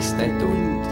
oleviste tund.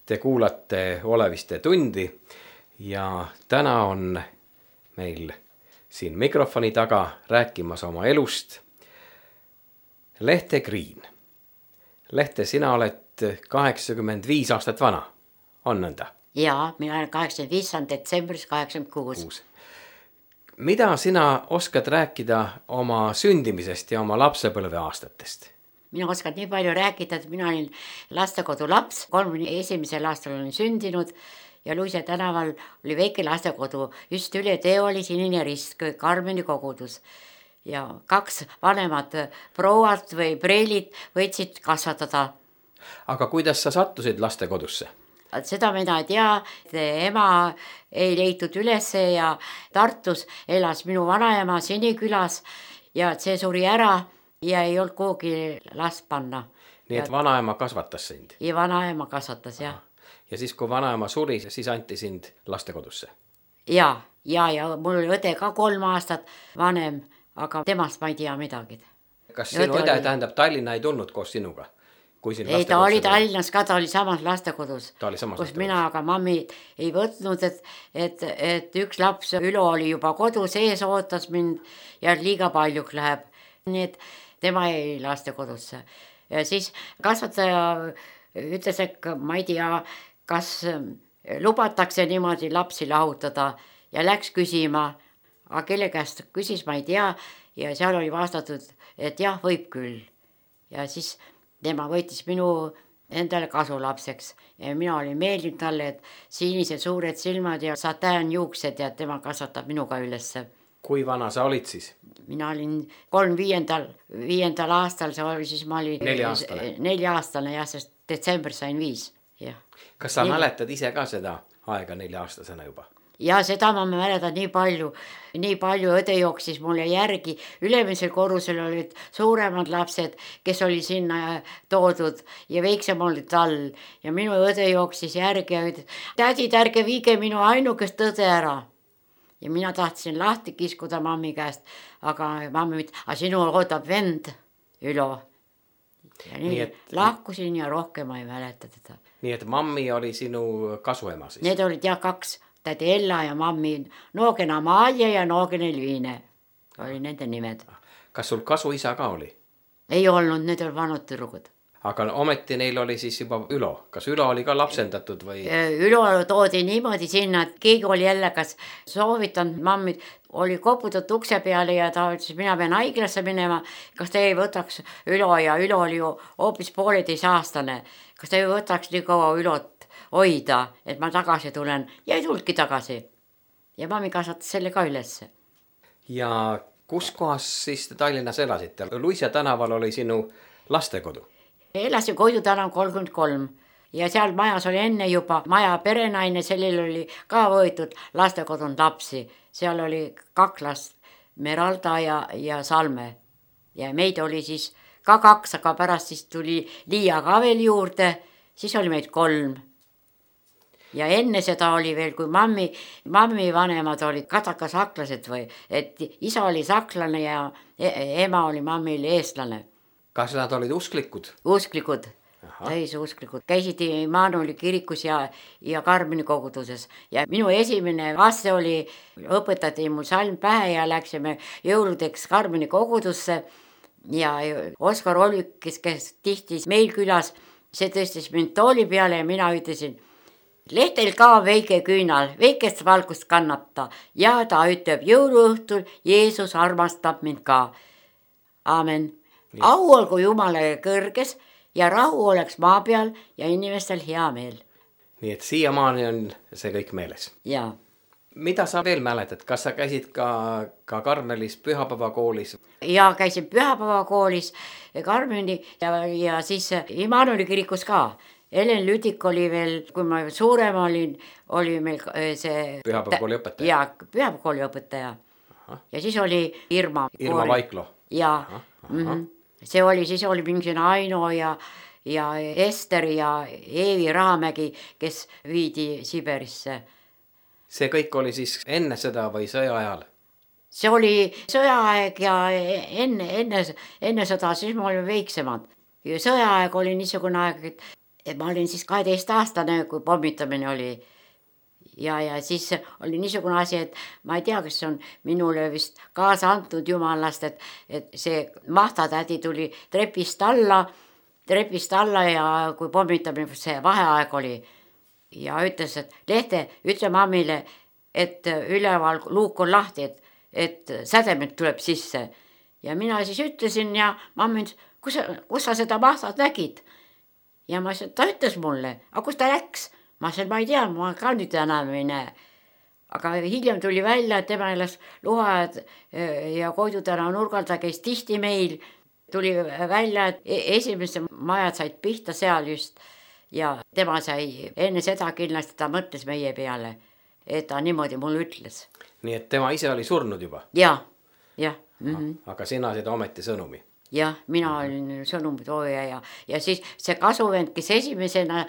Te kuulate Oleviste tundi ja täna on meil siin mikrofoni taga rääkimas oma elust Lehte Kriin. Lehte, sina oled 85 aastat vana, on nõnda? Jaa, mina olen 85, on detsembris 86. Mida sina oskad rääkida oma sündimisest ja oma lapsepõlve aastatest? Mina oskan nii palju rääkida, et mina olin lastekodu laps, 31. aastal olin sündinud ja Luise tänaval oli väike lastekodu, just üle tee oli Sinine Rist, Karmeni kogudus. Ja 2 vanemad prouad või preelid võtsid kasvatada. Aga kuidas sa sattusid lastekodusse? Seda mina ei tea, et ema ei leitud ülesse ja Tartus elas minu vanaema Sinikülas ja see suri ära ja ei olnud kuhugi last panna. Nii et vanaema kasvatas sind? Ja vanaema kasvatas, jah. Ja siis kui vanaema suri, siis anti sind lastekodusse? Ja mul oli õde ka 3 aastat vanem, aga temast ma ei tea midagi. Kas sinu õde tähendab Tallinna ei tulnud koos sinuga? Ei, ta oli Tallinnas ka, ta oli samas lastekodus, kus mina aga mammi ei võtnud, et üks laps Ülo oli juba kodus ees, ootas mind ja liiga paljuks läheb. Nii et tema jäi lastekodusse. Ja siis kasvataja ütles, et ma ei tea, kas lubatakse niimoodi lapsi lahutada ja läks küsima, aga kelle käest küsis, ma ei tea, ja seal oli vastatud, et jah, võib küll. Ja siis tema võitis minu endale kasulapseks ja mina olin meeldinud talle, et sinised suured silmad ja satäänjuuksed ja tema kasvatab minuga ülesse. Kui vana sa olid siis? Mina olin 35. aastal, see oli siis ma olin 4-aastane jah, sest detsembris sain 5. Jah. Kas sa mäletad ise ka seda aega 4-aastasena juba? Ja seda ma mäletan nii palju õde jooksis mulle järgi. Ülemisel korrusel olid suuremad lapsed, kes oli sinna toodud ja väiksem olid all. Ja minu õde jooksis järgi ja ütles, tädid, ärge viige minu ainukest õde ära. Ja mina tahtsin lahti kiskuda mammi käest, aga mammi ütles, aga sinu ootab vend, Ülo. Ja nii lahkusin ja rohkem ma ei mäleta teda. Nii et mammi oli sinu kasuema siis? Need olid jah 2. Tädi Ella ja mammi Noogena Amalia ja Noogena Elviine oli nende nimed. Kas sul kasuisa ka oli? Ei olnud, need oli vanud tüdrugud. Aga ometi neil oli siis juba Ülo. Kas Ülo oli ka lapsendatud või? Ülo toodi niimoodi sinna, et keegi oli jälle kas soovitanud mammid, oli koputatud ukse peale ja ta ütles, mina pean haiglasse minema. Kas te ei võtaks Ülo ja Ülo oli ju hoopis 1,5-aastane. Kas te ei võtaks nii kaua Ülot hoida, et ma tagasi tulen ja ei tulnudki tagasi. Ja mammi kasvatas selle ka ülesse. Ja kus kohas siis Tallinnas elasite? Luise tänaval oli sinu lastekodu? Elasin Koidu tänav 33 ja seal majas oli enne juba maja perenaine, sellel oli ka võetud lastekodun lapsi. Seal oli 2 last, Meralda ja Salme. Ja meid oli siis ka 2, aga pärast siis tuli Liia ka veel juurde, siis oli meid 3. Ja enne seda oli veel, kui mammi vanemad olid kadakasaklased või, et isa oli saklane ja ema oli mammil eestlane. Kas nad olid usklikud? Usklikud, täisusklikud. Käisid Immanueli kirikus ja Karmeni koguduses. Ja minu esimene vaste oli, õpetati mul salm pähe ja läksime jõuludeks Karmeni kogudusse. Ja Oskar Olvik, kes tihtis meil külas, see tõstis mind tooli peale ja mina ütlesin, Lehtel ka väike küünal, väikest valgust kannab ta ja ta ütleb jõuluõhtul, Jeesus armastab mind ka. Aamen. Au olgu Jumale kõrges ja rahu oleks maa peal ja inimestel hea meel. Nii et siiamaani on see kõik meeles. Jaa. Mida sa veel mäletad? Kas sa käisid ka Karmelis pühapäevakoolis? Jaa, käisin pühapäevakoolis Karmeni ja siis Immanueli kirikus ka. Helen Lüdik oli veel, kui ma suurem olin, oli meil see... Pühapäevakooli õpetaja? Jaa, pühapäevakooli õpetaja. Aha. Ja siis oli Irma. Irma Vaiklo? Jaa. See oli, siis oli mingisugune Aino ja Ester ja Eevi Rahamägi, kes viidi Siberisse. See kõik oli siis enne seda või sõja ajal? See oli sõjaaeg ja enne seda, siis me olime väiksemad. Sõjaaeg oli niisugune aeg, et ma olin siis 12-aastane, kui pommitamine oli. Ja siis oli niisugune asi, et ma ei tea, kas on minule vist kaasa antud jumalast, et see mahtatädi tuli trepist alla ja kui pommitamine, see vaheaeg oli. Ja ütles, et Lehte, ütle mammile, et üleval luuk on lahti, et sädemed tuleb sisse. Ja mina siis ütlesin ja mammi ütles, kus sa seda mahtat nägid? Ja ma ütlesin, ta ütles mulle, aga kus ta läks? Ma ütlesin, ma ei tea, ma ka nüüd enam ei näe. Aga hiljem tuli välja, et tema elas Luhajad ja Koidu tänav nurgal, ta käis tihti meil. Tuli välja, et esimesed majad said pihta seal just ja tema sai enne seda kindlasti, ta mõtles meie peale, et ta niimoodi mulle ütles. Nii et tema ise oli surnud juba? Jah. Aga sina seda ometi sõnumi? Jah, mina olin sõnumitooja ja siis see kasuvend, kes esimesena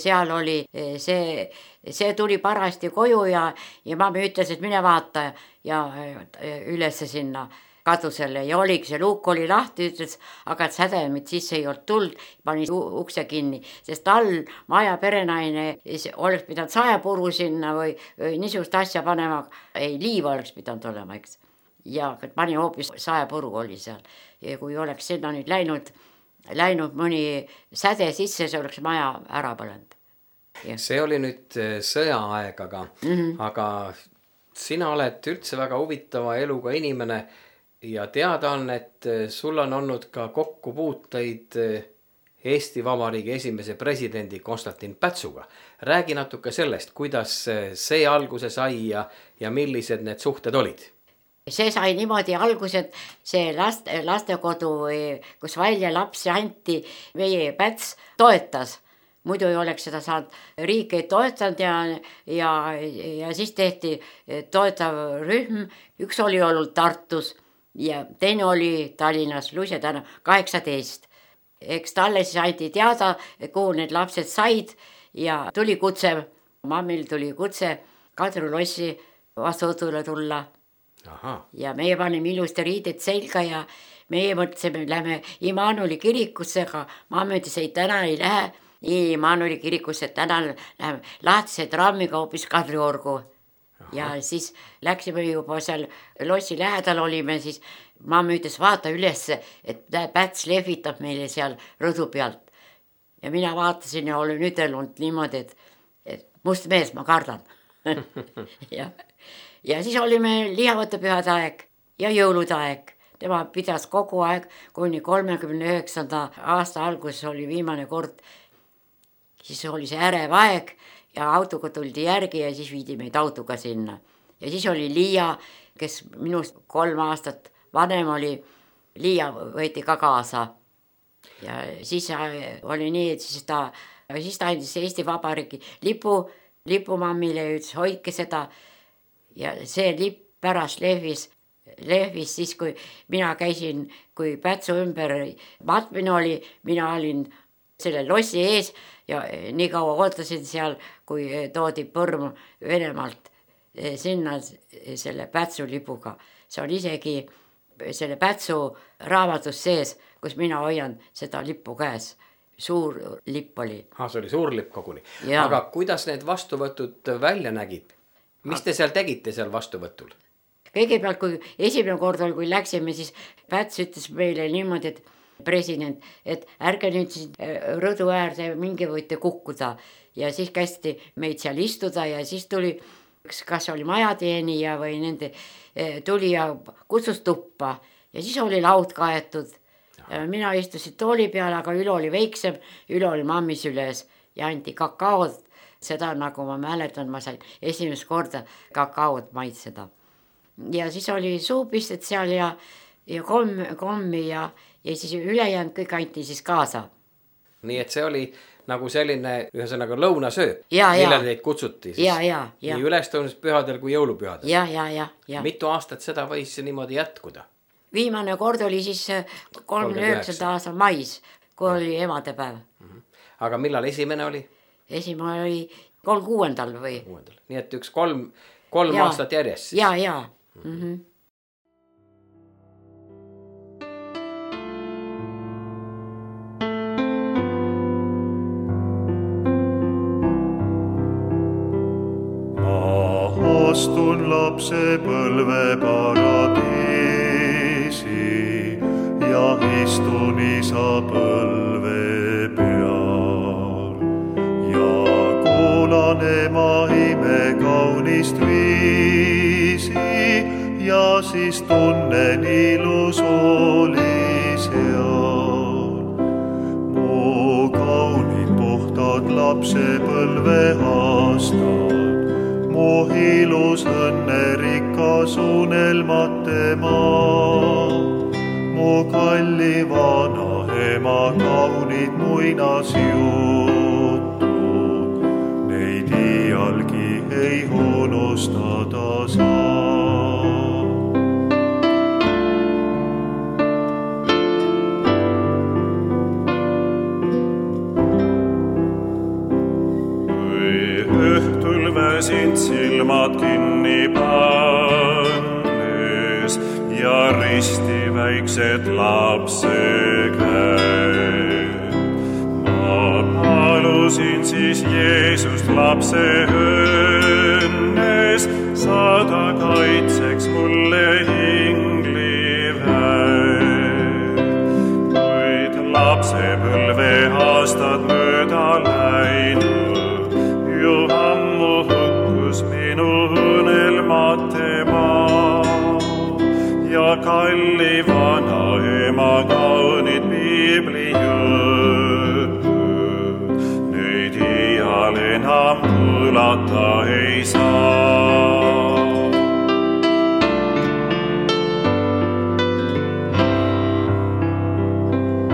seal oli, see tuli parasti koju ja mammi ütles, et mine vaata ja ülesse sinna kadusele ja oligi, see luuk oli lahti, ütles, aga et sädemid sisse ei olnud tuld, pani ukse kinni, sest all maja perenaine oleks pidanud saepuru sinna või niisugust asja panema, ei liiva oleks pidanud olema, eks. Ja pani hoopis saepuru oli seal. Ja kui oleks sinna nüüd läinud mõni säde sisse, see oleks maja ära põlenud. See oli nüüd sõjaaeg, aga sina oled üldse väga huvitava eluga inimene ja teada on, et sul on olnud ka kokkupuuteid Eesti Vabariigi esimese presidendi Konstantin Pätsuga. Räägi natuke sellest, kuidas see alguse sai ja millised need suhted olid? See sai niimoodi algused, see lastekodu, kus välja lapsi anti, meie Päts toetas. Muidu ei oleks seda saanud, riik ei toetanud ja siis tehti toetav rühm, üks oli olnud Tartus ja teine oli Tallinnas, Luise tänav 18. Eks talle siis anti teada, kuhu need lapsed said ja tuli kutse, mammil tuli kutse Kadri lossi vastuvõtule tulla. Aha. Ja meie panime ilusti riided selga ja meie mõtlesime, lähme Immanueli kirikusse, aga mamma ütles, ei täna ei lähe Immanueli kirikusse, täna läheme lahtise trammiga hoopis Kadriorgu. Ja siis läksime juba seal lossi lähedal olime, siis mamma ütles, vaata ülesse, et Päts lehvitab meile seal rõdu pealt. Ja mina vaatasin ja olin ütelnud niimoodi, et must mees, ma kardan. ja siis olime lihavõtte pühade aeg ja jõulude aeg. Tema pidas kogu aeg, kuni 39. aasta alguses oli viimane kord. Siis oli see ärev aeg ja autoga tuldi järgi ja siis viidi meid autoga sinna. Ja siis oli Liia, kes minust 3 aastat vanem oli, Liia võeti ka kaasa. Ja siis oli nii, et siis ta andis Eesti Vabariigi lipu mammile ja ütles, hoidke seda. Ja see lipp pärast lehvis siis, kui mina käisin, kui Pätsu ümber matmine oli, mina olin selle lossi ees ja nii kaua ootasin seal, kui toodi põrm Venemaalt sinna selle Pätsu lipuga. See on isegi selle Pätsu raamatus sees, kus mina hoian seda lippu käes. Suur lipp oli. See oli suur lipp koguni. Ja. Aga kuidas need vastuvõtud välja nägid? Mis te seal tegite seal vastuvõtul? Kõigepealt, kui esimene kord oli, kui läksime, siis Päts ütles meile niimoodi, et president, et ärge nüüd siis rõdu äärde mingi võite kukkuda. Ja siis kästi meid seal istuda ja siis tuli, kas oli majateenija või nende, tuli ja kutsus tuppa. Ja siis oli laud kaetud. Mina istusin tooli peale, aga Ülo oli väiksem, Ülo oli mammis üles ja anti kakaod. Seda nagu ma mäletan, ma sain esimest korda kakaod maitseda. Ja siis oli suupisted seal ja kommi ja siis ülejäänud kõik anti siis kaasa. Nii et see oli nagu selline ühesõnaga lõunasöö, millele teid kutsuti siis. Nii ülestõusmispühadel kui jõulupühadel. Ja. Mitu aastat seda võis niimoodi jätkuda? Viimane kord oli siis 39. aasta mais, kui oli emadepäev. Aga millal esimene oli? Esimene oli 36. või? Nii et üks kolm aastat järjest siis? Ja. Astun lapse põlve paradiisi ja istun isa põlve peal ja kuulan ema ime kaunist viisi ja siis tunnen ilus oli seal. Mu kaunid puhtad lapse põlve aastad, mu ilus õnnerikas unelmate maa, mu kalli vana ema kaunid muinasjutud, neid iialgi ei unustada saa. Väsin silmad kinni pannes ja risti väiksed lapse käed. Ma palusin siis Jeesust lapse õnnes, saada kaitseks mulle ingliväed. Kuid lapse põlve aastad mööda läinud, ju ammu minu õnelmate maa ja kalli vana ema kaunid piiblijõud kuulata ei saa.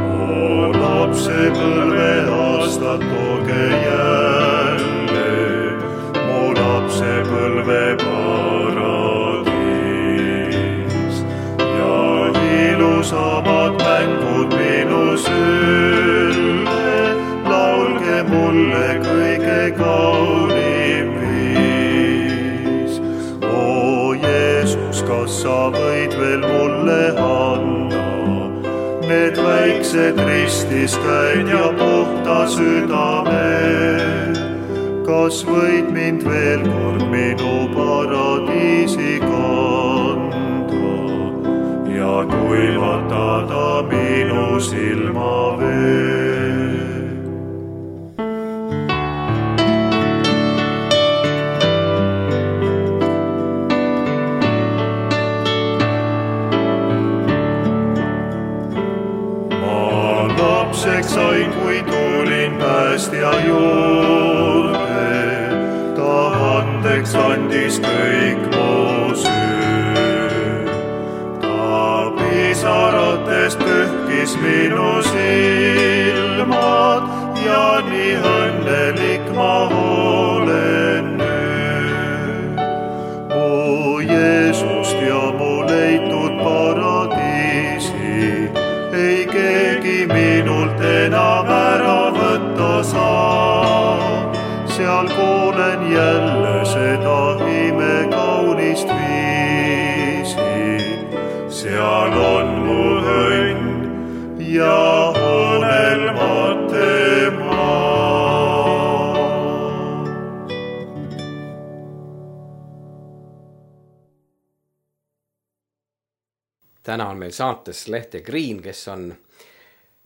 O lapsepõlve aastad tooge jälle, mu lapsepõlve paradiis ja ilusamad mängud minu sülle, laulge mulle kõige kaunim viis. O Jeesus, kas sa võid veel mulle anda need väiksed ristiskäid ja puhta südame? Kas võid mind veel kord minu paradiisi kanda ja kuivatada minu silmavee? Lapseks sain, kui tulin päästja juurde, ta andeks andis kõik mu süü. Ta pisaratest pühkis minu silmad ja nii õnnelik ma olen nüüd. Mu Jeesust ja mu leitud paradiisi ei keegi minult enam ära võtta saa. Seal kuulen jälle seda imekaunist viisi. Seal on mu õnn ja unelmate maa. Täna on meil saates Lehte Green, kes on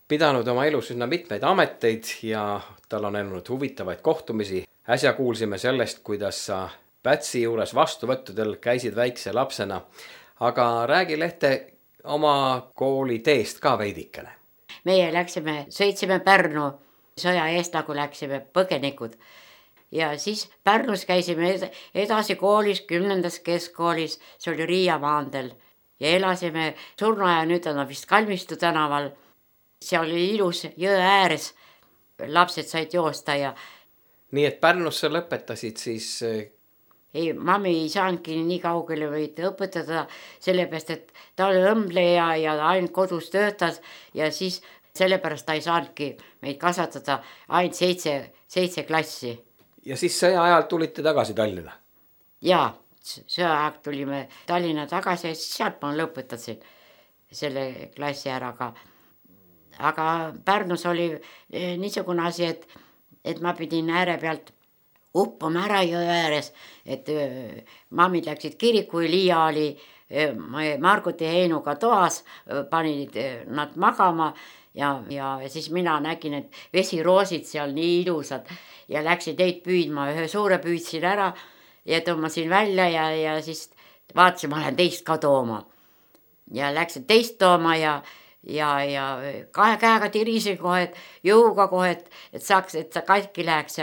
pidanud oma elus üsna mitmeid ameteid ja tal on olnud huvitavaid kohtumisi. Äsja kuulsime sellest, kuidas sa Pätsi juures vastuvõttudel käisid väikse lapsena. Aga räägi, Lehte, oma kooli teest ka veidikene. Meie sõitsime Pärnu sõja eest, nagu läksime põgenikud. Ja siis Pärnus käisime edasi koolis, 10. keskkoolis, see oli Riia maanteel. Ja elasime surnuaja, nüüd on vist Kalmistu tänaval. Seal oli ilus jõe ääres, lapsed said joosta ja... Nii et Pärnus sa lõpetasid siis... Ei, mammi ei saanudki nii kaugele võid õpetada, sellepärast, et ta oli õmbleja ja ainult kodus töötas ja siis sellepärast ta ei saanudki meid kasvatada ainult 7 klassi. Ja siis sõja ajal tulite tagasi Tallinna? Jaa, sõja ajal tulime Tallinna tagasi ja sealt ma lõpetasin selle klassi ära ka. Aga Pärnus oli niisugune asi, et ma pidin ääre pealt uppama ära jõe ääres, et mammid läksid kiriku ja Liia oli Margut ja Heinuga toas, panid nad magama ja siis mina nägin, et vesiroosid seal nii ilusad ja läksin neid püüdma, ühe suure püüdsin ära ja tõmbasin välja ja siis vaatasin, ma lähen teist ka tooma. Ja läksin teist tooma ja kahe käega tirisin kohe, jõuga kohe, et saaks, et see katki läheks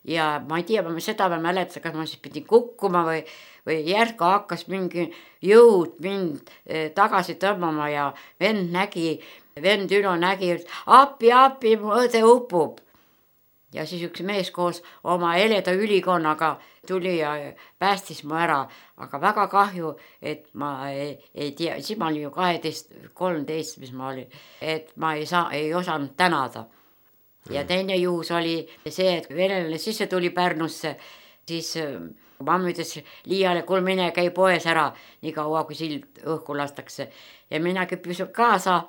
ja ma ei tea, seda ma mäletan, kas ma siis pidin kukkuma või järgu hakkas mingi jõud mind tagasi tõmbama ja vend Ülo nägi, et appi, mu õde upub. Ja siis üks mees koos oma heleda ülikonnaga tuli ja päästis mu ära, aga väga kahju, et ma ei tea, siis ma olin ju 12-13, mis ma olin, et ma ei osanud tänada. Ja teine juhus oli see, et venelane sisse tuli Pärnusse, siis mamma ütles Liiale, kuule mine käi poes ära, nii kaua kui sild õhku lastakse. Ja mina küppisin kaasa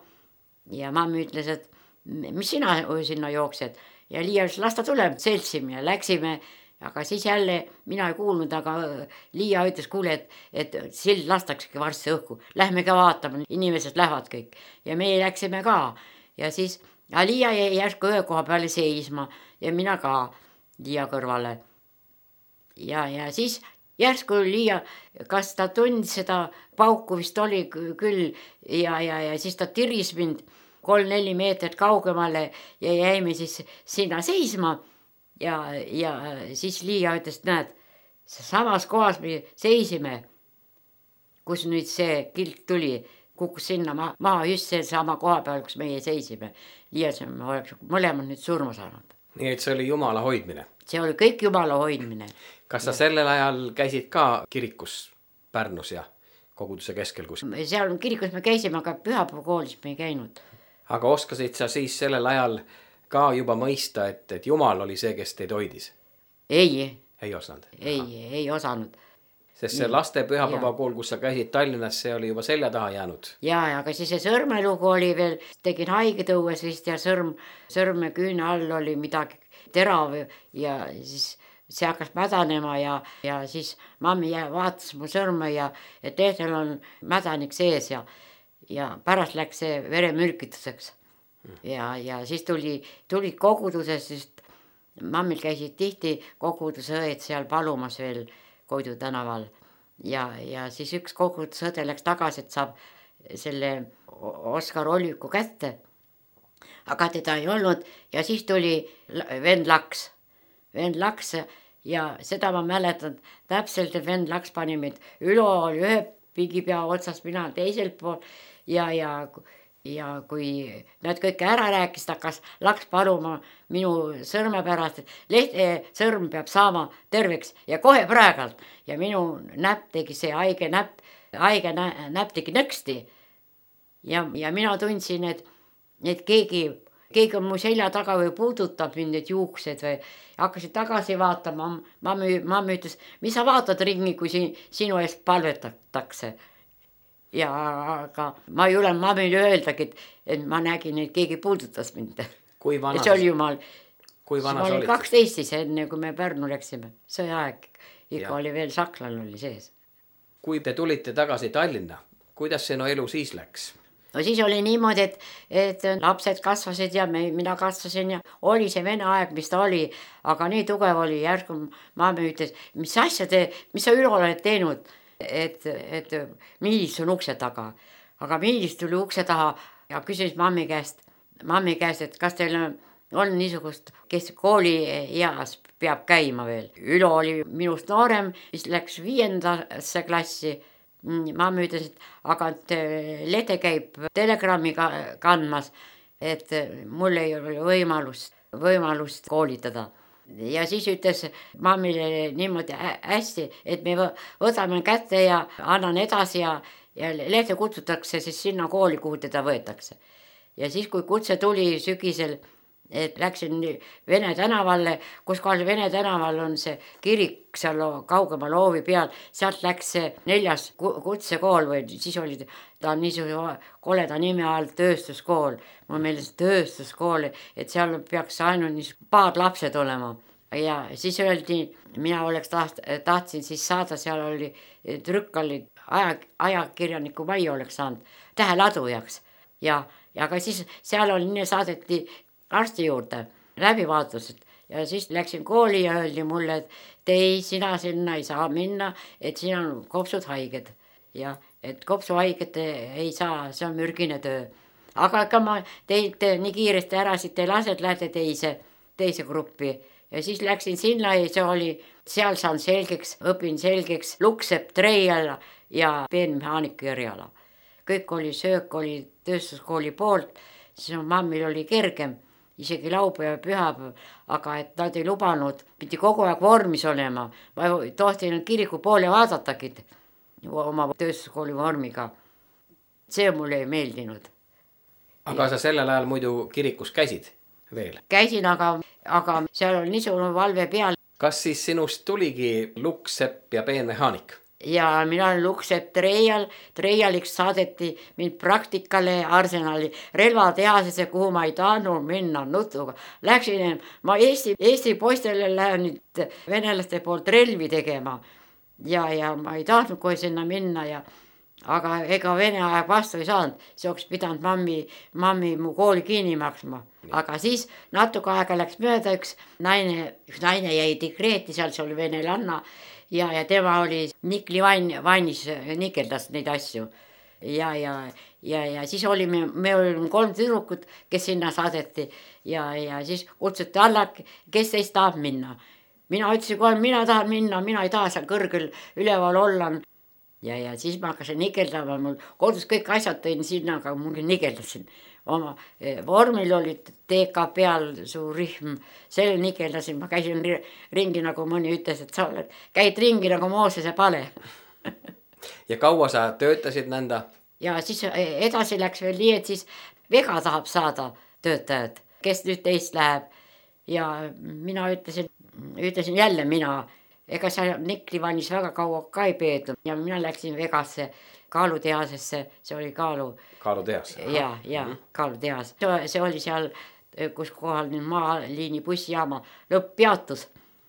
ja mamma ütles, et mis sina sinna jooksed? Ja Liia ütles, las ta tuleb, seltsime ja läksime, aga siis jälle mina ei kuulnud, aga Liia ütles, kuule, et sild lastaksegi varsti õhku. Lähme ka vaatama, inimesed lähevad kõik. Ja meie läksime ka ja siis Liia jäi järsku ühe koha peale seisma ja mina ka Liia kõrvale. Ja siis järsku Liia, kas ta tundis seda pauku vist oli küll ja siis ta tiris mind 3-4 meetrit kaugemale ja jäime siis sinna seisma ja siis Liia ütles, näed, samas kohas me seisime, kus nüüd see kilk tuli, kukkus sinna maha just see sama koha peal, kus meie seisime. Liia, me oleks mõlemad nüüd surma saanud. Nii et see oli Jumala hoidmine? See oli kõik Jumala hoidmine. Kas sa sellel ajal käisid ka kirikus Pärnus ja koguduse keskel kus? Seal kirikus me käisime, aga pühapäevakoolis me ei käinud. Aga oskasid sa siis sellel ajal ka juba mõista, et Jumal oli see, kes teid hoidis? Ei osanud? Ei osanud. Sest see laste pühapäevakool, kus sa käisid Tallinnas, see oli juba selja taha jäänud. Ja aga siis see sõrmelugu oli veel, tegin haigetõues vist ja sõrme küüne all oli midagi terav ja siis see hakkas mädanema ja siis mammi vaatas mu sõrme ja et teetel on mädanik sees ja pärast läks see veremürkituseks. Ja siis tulid koguduses, sest mammil käisid tihti koguduse õed seal palumas veel Koidu tänaval ja siis üks kogudusõde läks tagasi, et saab selle Oskar Olviku kätte, aga teda ei olnud ja siis tuli vend Laks ja seda ma mäletan täpselt, et vend Laks pani meid, Ülo oli ühe pigipea otsas, mina teisel pool ja kui nad kõik ära rääkisid, hakkas Laks paluma minu sõrme pärast, et Lehte sõrm peab saama terveks ja kohe praegalt. Ja minu näpp tegi see haige näpp tegi nõksti. Ja mina tundsin, et keegi on mu selja taga või puudutab mind need juuksed või hakkasid tagasi vaatama. Mammi ütles, mis sa vaatad ringi, kui sinu eest palvetatakse. Ja aga ma ei ole mammile öeldagi, et ma nägin, et keegi puudutas mind. Kui vanas? See oli Jumal. Kui vanas olid? Ma olin 12 enne, kui me Pärnu läksime. Sõjaaeg. Ikka oli veel saklal oli sees. Kui te tulite tagasi Tallinna, kuidas see elu siis läks? No siis oli niimoodi, et lapsed kasvasid ja mina kasvasin ja oli see vene aeg, mis ta oli. Aga nii tugev oli järgu mammi ütles, mis sa Ülo oled teinud? Et Miilis on ukse taga. Aga Miilis tuli ukse taha ja küsis mammi käest, et kas teil on niisugust, kes kooli eas peab käima veel. Ülo oli minust noorem, mis läks 5. klassi. Mammi ütles, et aga Lede käib telegrammi kandmas, et mul ei ole võimalust koolitada. Ja siis ütles mammile niimoodi hästi, et me võtame kätte ja annan edasi ja Lehte kutsutakse siis sinna kooli, kuhu teda võetakse. Ja siis, kui kutse tuli sügisel, et läksin Vene tänavalle, kus kohal Vene tänaval on see kirik seal kaugema loovi peal, sealt läks see 4. kutsekool või siis oli ta niisugune koleda nime all tööstuskool. Mul meeles tööstuskool, et seal peaks ainult paar lapsed olema. Ja siis öeldi, mina tahtsin siis saada, seal oli trükkali ajakirjaniku Mai oleks saanud täheladujaks. Ja aga siis seal oli saadeti arsti juurde läbivaatused ja siis läksin kooli ja öeldi mulle, et sina sinna ei saa minna, et siin on kopsud haiged ja et kopsuhaiget ei saa, see on mürgine töö. Aga ega ma teid nii kiiresti ära siit ei lase, et lähete teise gruppi ja siis läksin sinna ja see oli, seal saan õpin selgeks Luksepp, Treial ja peenmehaaniku eriala. Kõik oli söök, oli tööstuskooli poolt, siis mammil oli kergem. Isegi laupäev ja pühapäev, aga et nad ei lubanud, pidi kogu aeg vormis olema. Ma tohtin kiriku poole vaadatagi oma tööstuskooli vormiga. See mulle ei meeldinud. Aga sa sellel ajal muidu kirikus käisid veel? Käisin, aga seal on niisugune valve peal. Kas siis sinust tuligi Luksepp ja peenmehaanik? Ja mina olen Luksepp Treialiks saadeti mind praktikale Arsenali relvatehasesse, kuhu ma ei tahtnud minna nutuga. Läksin, ma Eesti poistele lähen nüüd venelaste poolt relvi tegema ja ma ei tahtnud kohe sinna minna aga ega Vene aeg vastu ei saanud, see oleks pidanud mammi mu kooli kinni maksma. Aga siis natuke aega läks mööda, üks naine jäi dekreeti, seal oli venelanna ja tema oli nikli vannis, nikeldas neid asju. ja siis olime, me olime 3 tüdrukut, kes sinna saadeti ja siis kutsuti alla, kes teist tahab minna. Mina ütlesin kohe, mina tahan minna, mina ei taha seal kõrgel üleval olla. Ja siis ma hakkasin nigeldama, mul kodus kõik asjad tõin sinna, aga mul nigeldasin. Oma vormil oli TK peal suur rühm, selle nigeldasin, ma käisin ringi, nagu mõni ütles, et sa käid ringi nagu Moosese pale. Ja kaua sa töötasid nõnda? Ja siis edasi läks veel nii, et siis Vega tahab saada töötajad, kes nüüd teist läheb. Ja mina ütlesin jälle mina, ega seal Niklivanis väga kaua ka ei peetud ja mina läksin Vegasse kaalutehasesse, see oli kaalutehas. Ja kaalutehas. See oli seal, kus kohal nüüd maaliini bussijaama lõpp-peatus,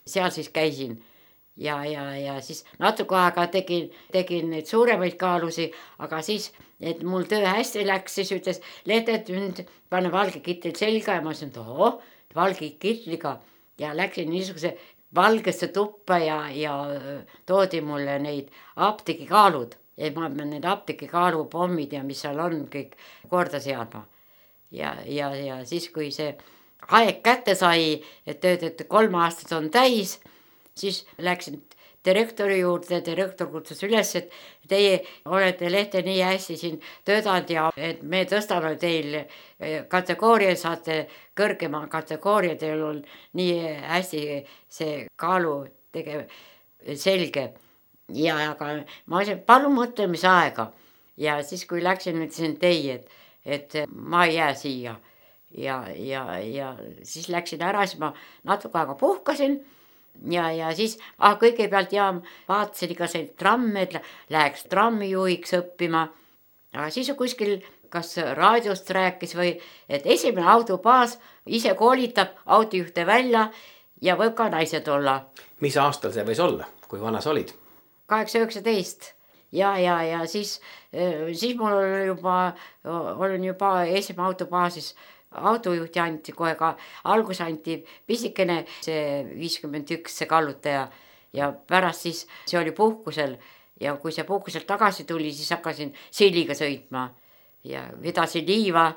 seal siis käisin. Ja siis natuke aega tegin neid suuremaid kaalusi, aga siis, et mul töö hästi läks, siis ütles Lehte, et nüüd pane valge kittel selga ja ma ütlesin, et valge kitliga ja läksin niisuguse valgesse tuppa ja toodi mulle neid apteegikaalud. Ja ma pean need apteegikaalupommid ja mis seal on kõik korda seadma. Ja siis, kui see aeg kätte sai, et 3 aastat on täis, siis läksin direktori juurde, direktor kutsus üles, et teie olete Lehte nii hästi siin töötanud ja et me tõstame teil kategooria, saate kõrgema kategooria, teil on nii hästi see kaalu selge. Ja aga ma ütlesin, palun mõtlemise aega. Ja siis, kui läksin, ütlesin teie, et ma ei jää siia. Ja siis läksin ära, siis ma natuke aega puhkasin. Ja siis kõigepealt vaatasin ikka see tramm, et läheks trammijuhiks õppima. Aga siis kuskil kas raadiost rääkis või, et esimene autobaas ise koolitab autojuhte välja ja võib ka naised olla. Mis aastal see võis olla, kui vana sa olid? 8-19 ja siis mul olin juba esimene autobaasis autojuhti anti kohe ka, algus anti pisikene see 51 see kallutaja ja pärast siis see oli puhkusel ja kui see puhkuselt tagasi tuli, siis hakkasin silliga sõitma ja vedasin liiva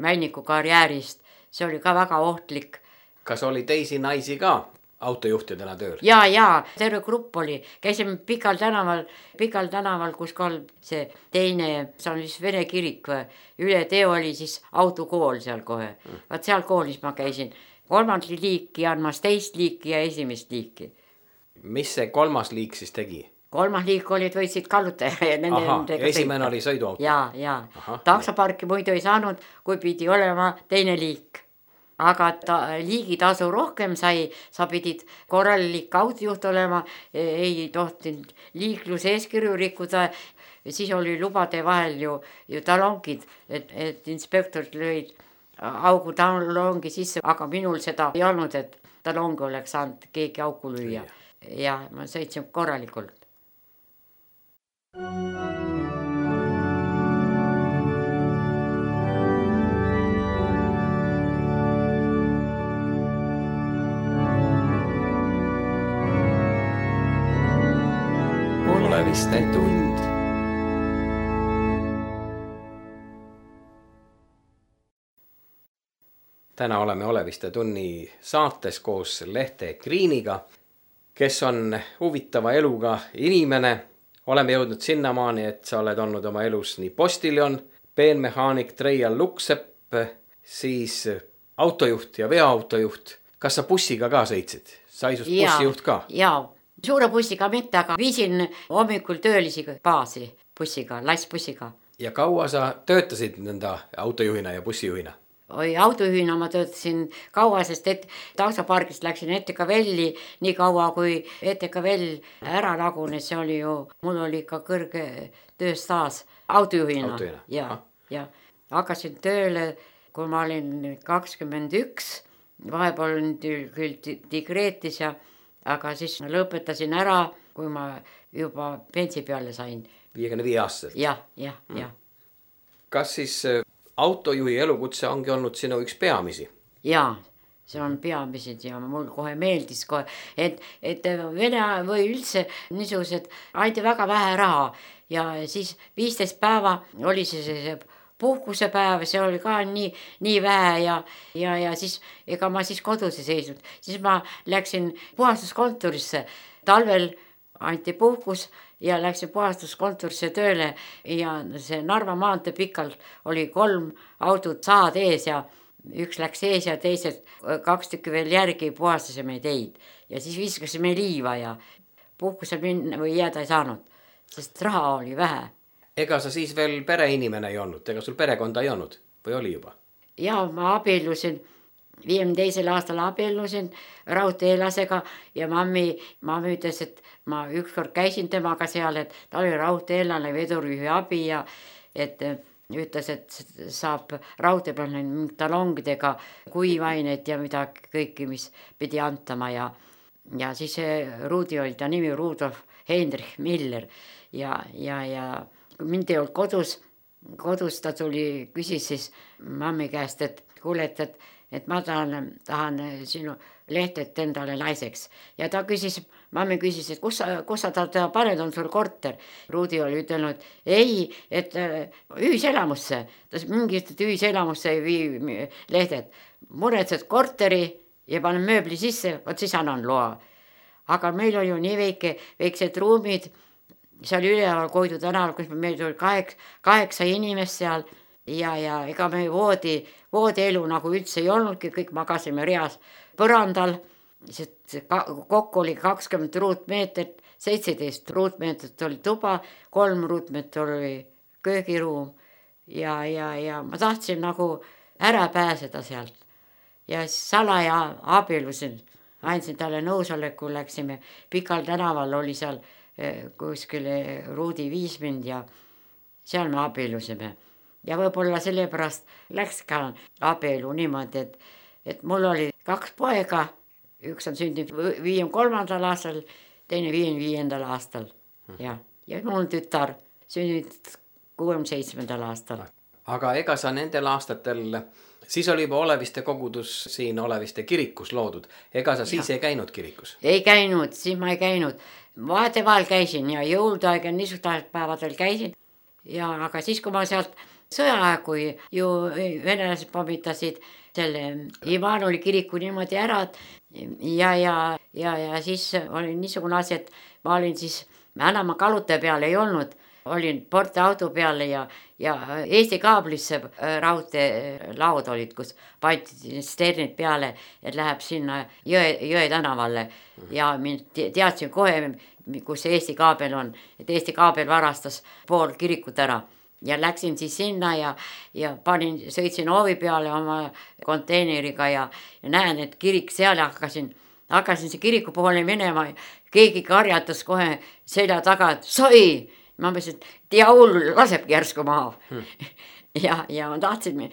Männiku karjäärist, see oli ka väga ohtlik. Kas oli teisi naisi ka autojuhtidena tööl? Ja, terve grupp oli, käisime Pikal tänaval, kus kohal see teine, see on siis Vene kirik või, üle teo oli siis autokool seal kohe. Vaat seal koolis ma käisin 3. liiki andmas 2. liiki ja 1. liiki. Mis see 3. liik siis tegi? 3. liik oli, et võitsid kallutaja. Esimene oli sõiduauto. Ja. Taksoparki muidu ei saanud, kui pidi olema 2. liik. Aga liigitasu rohkem sai, sa pidid korralik autojuht olema, ei tohtinud liikluseeskirju rikkuda, siis oli lubade vahel ju talongid, et inspektorid lõid augu talongi sisse, aga minul seda ei olnud, et talongi oleks saanud keegi auku lüüa ja ma sõitsin korralikult. Oleviste tund. Täna oleme Oleviste tunni saates koos Lehte Kriiniga, kes on huvitava eluga inimene. Oleme jõudnud sinnamaani, et sa oled olnud oma elus nii postiljon, peenmehaanik Treial Luksepp, siis autojuht ja veoautojuht. Kas sa bussiga ka sõitsid? Sai sust bussijuht ka? Jaa. Suure bussiga mitte, aga viisin hommikul töölisi baasi bussiga, lassbussiga. Ja kaua sa töötasid nõnda autojuhina ja bussijuhina? Autojuhina ma töötasin kaua, sest taksopargist läksin ETKVL-i nii kaua, kui ETKVL ära lagunes, see oli ju, mul oli ka kõrge tööstaas autojuhina. Ja hakkasin tööle, kui ma olin 21, vahepeal olin küll digreetis aga siis lõpetasin ära, kui ma juba pensi peale sain. 55 aastaselt? Ja. Kas siis autojuhi elukutse ongi olnud sinu üks peamisi? Jaa, see on peamisid ja mul kohe meeldis kohe, et Vene või üldse niisugused anti väga vähe raha ja siis 15 päeva oli see puhkusepäev, see oli ka nii vähe ja siis ega ma siis kodus ei seisnud. Siis ma läksin puhastuskontorisse, talvel anti puhkus ja läksin puhastuskontorisse tööle ja see Narva maantee pikalt oli 3 autot saad ees ja üks läks ees ja teised 2 tükki veel järgi puhastasime teid ja siis viskasime liiva ja puhkusel minna või jääda ei saanud, sest raha oli vähe. Ega sa siis veel pereinimene ei olnud, ega sul perekonda ei olnud või oli juba? Ja ma abiellusin, 52. aastal abiellusin raudteelasega ja mammi ütles, et ma ükskord käisin temaga seal, et ta oli raudteelane vedurijuhi abi ja et ütles, et saab raudtee peal talongidega kuivaineid ja midagi kõiki, mis pidi antama ja siis Rudi oli ta nimi Rudolf Heinrich Miller ja mind ei olnud kodus ta tuli, küsis siis mammi käest, et kuule, et ma tahan sinu lehtet endale naiseks ja ta mammi küsis, et kus sa ta paned, on sul korter. Rudi oli ütelnud, ei, et ühiselamusse, ta mingit ühiselamusse ei vii lehted, muretsed korteri ja panen mööbli sisse, vot siis annan loa. Aga meil oli ju nii väiksed ruumid, seal üleval Koidu tänaval, kus meil tuli 8 inimest seal ja ega me voodielu nagu üldse ei olnudki, kõik magasime reas põrandal, sest kokku oli 20 ruutmeetrit, 17 ruutmeetrit oli tuba, 3 ruutmeetrit oli köögiruum ja ma tahtsin nagu ära pääseda sealt ja salaja abiellusin, andsin talle nõusoleku, läksime Pikal tänaval, oli seal kuskile Rudi viis mind ja seal me abiellusime ja võib-olla sellepärast läks ka abielu niimoodi, et mul oli 2 poega, üks on sündinud 53. aastal, teine 55. aastal ja mul tütar sündinud 67. aastal. Aga ega sa nendel aastatel, siis oli juba Oleviste kogudus siin Oleviste kirikus loodud, ega sa siis ei käinud kirikus? Ei käinud, siis ma ei käinud. Vaheteval käisin ja jõuluaeg ja niisugustel päevadel käisin aga siis, kui ma sealt sõjaaeg, kui ju venelased pommitasid selle Immanueli kiriku niimoodi ära ja siis oli niisugune asi, et ma olin siis, enam ma kalute peal ei olnud, olin portiauto peale ja Eesti Kaablisse raudteelaud olid, kus pandi sternid peale, et läheb sinna Jõe tänavale ja mind teadsin kohe, kus Eesti Kaabel on, et Eesti Kaabel varastas pool kirikut ära ja läksin siis sinna ja sõitsin hoovi peale oma konteineriga ja näen, et kirik seal ja hakkasin see kiriku poole minema, keegi karjatas kohe selja taga, et sai! Ma mõtlesin, et jaul lasebki järsku maha. ja ma tahtsin,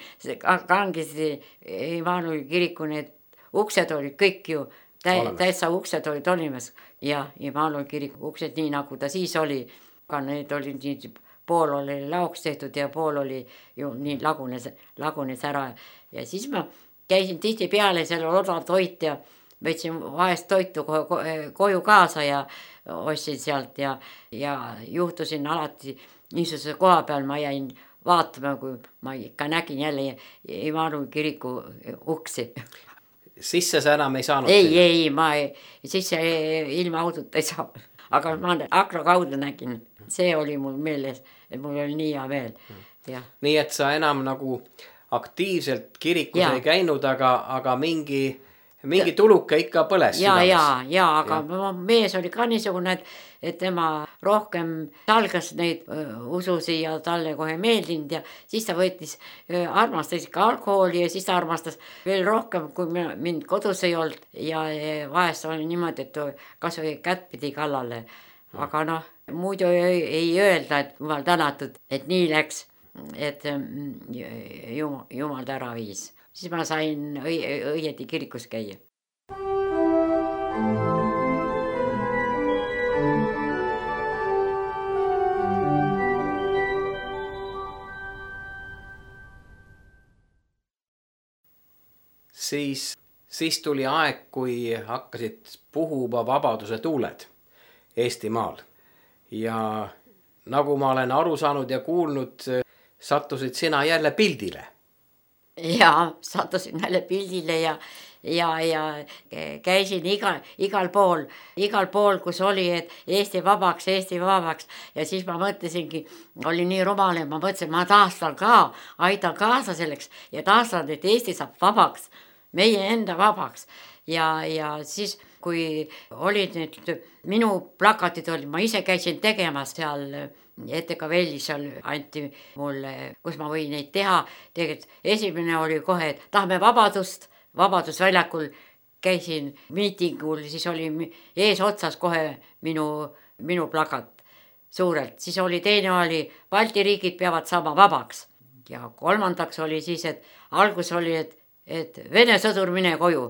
kangisi Immanueli kiriku need uksed olid kõik ju, täitsa uksed olid olimas ja Immanueli kiriku uksed nii nagu ta siis oli, aga need olid nii, pool oli lauks tehtud ja pool oli ju nii lagunes ära ja siis ma käisin tihti peale selle odav toit ja võtsin vahest toitu koju kaasa ja ostsin sealt ja juhtusin alati niisuguse koha peal, ma jäin vaatama, kui ma ikka nägin jälle Immanueli kiriku uksi. Sisse sa enam ei saanud? Ei, ma sisse ilma autot ei saa, aga ma akna kaudu nägin, see oli mul meeles, et mul oli nii hea meel. Ja. Nii et sa enam nagu aktiivselt kirikus ei käinud, aga mingi tuluke ikka põles. Aga mees oli ka niisugune, et tema rohkem talgas neid ususi ja talle kohe meeldinud ja siis ta armastas ikka alkoholi ja siis ta armastas veel rohkem, kui mind kodus ei olnud ja vahest oli niimoodi, et kas või kätt pidi kallale. Aga muidu ei öelda, et jumal tänatud, et nii läks, et jumal ta ära viis. Siis ma sain õieti kirikus käia. Siis tuli aeg, kui hakkasid puhuma vabaduse tuuled Eestimaal ja nagu ma olen aru saanud ja kuulnud, sattusid sina jälle pildile. Ja sattusin jälle pildile ja käisin igal pool, kus oli, et Eesti vabaks ja siis ma mõtlesingi, oli nii rumal, et ma mõtlesin, ma taastan ka, aitan kaasa selleks ja taastan, et Eesti saab vabaks, meie enda vabaks ja siis kui olid need minu plakatid olid, ma ise käisin tegemas seal ETK-Vellis, seal anti mulle, kus ma võin neid teha. Tegelikult esimene oli kohe, et tahame vabadust, Vabadusväljakul käisin miitingul, siis oli ees otsas kohe minu plakat suurelt. Siis oli teine oli, Balti riigid peavad saama vabaks. Ja kolmandaks oli siis, et algus oli, et Vene sõdur mine koju.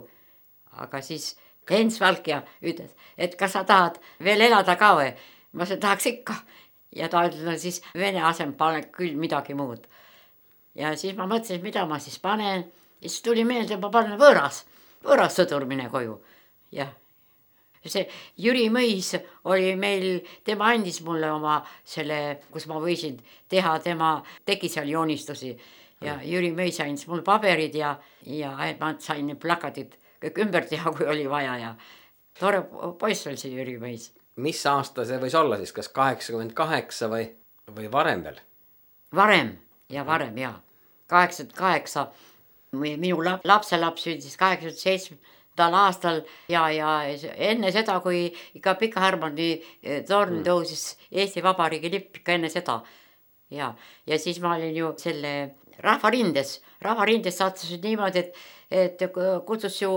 Aga siis Hens Valkja ütles, et kas sa tahad veel elada ka või? Ma tahaks ikka. Ja ta ütles, siis Vene asem pane küll midagi muud. Ja siis ma mõtlesin, mida ma siis panen. Ja siis tuli meelde, ma panen võõras sõdur mine koju. Ja see Jüri Mõis oli meil, tema andis mulle oma selle, kus ma võisin teha, tema tegi seal joonistusi. Ja Jüri Mõis andis mulle paberid ja ma sain plakatid kõik ümber teha, kui oli vaja ja tore poiss oli see Jüri Mõis. Mis aasta see võis olla siis, kas 88 või varem veel? Varem, ja. 88, minu lapselaps sündis 87. aastal ja enne seda, kui ikka Pika Hermanni torn tõusis Eesti Vabariigi lipp ikka enne seda. Ja siis ma olin ju selle Rahvarindes sattusid niimoodi, et kutsus ju